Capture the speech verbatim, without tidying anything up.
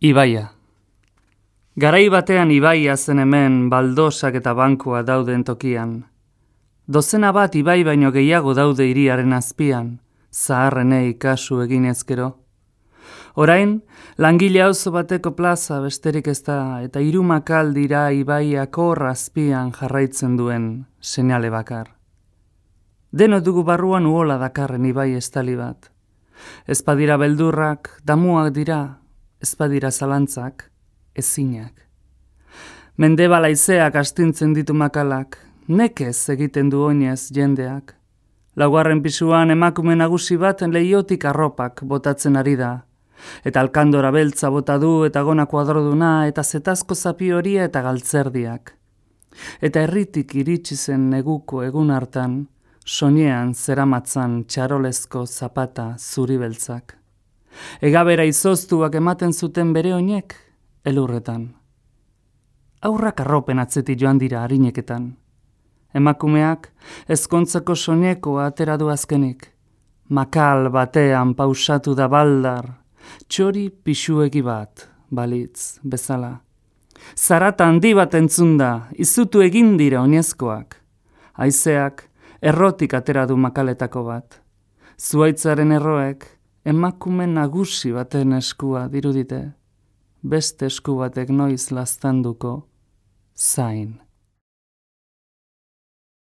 Ibaia. Garai batean ibaia zen hemen baldosak eta bankua dauden tokian. Dozena bat ibai baino gehiago daude hiriaren azpian, zaharrenei kasu egin ezkero. Orain, langile auzo bateko plaza besterik ez da, eta hirumakal dira ibaiak hor azpian jarraitzen duen seinale bakar. Deno dugu barruan uhola dakarren ibai estali bat. Ez badira beldurrak, damuak dira, ez badira zalantzak, ezinak. Mendebal haizeak astintzen ditu makalak, nekez egiten du oinez jendeak. Laugarren pisuan emakume nagusi bat leiotik arropak botatzen ari da. Eta alkandora beltza bota du eta gona kuadroduna eta zetazko zapi horia eta galtzerdiak. Eta herritik iritsi zen neguko egun hartan, soinean zeramatzan txarolezko zapata zuri beltzak. Egabera izoztuak ematen zuten bere oinek, elurretan. Aurrak arropen atzetik joan dira harineketan. Emakumeak ezkontzako soinekoa atera du azkenik. Makal batean pausatu da baldar, txori pixuegi bat, balitz, bezala. Zarata handi bat entzun da, izutu egin dira oinezkoak. Haizeak errotik atera du makaletako bat. Zuaitzaren erroek emakume nagusi baten eskua dirudite. Beste esku batek noiz laztanduko zain.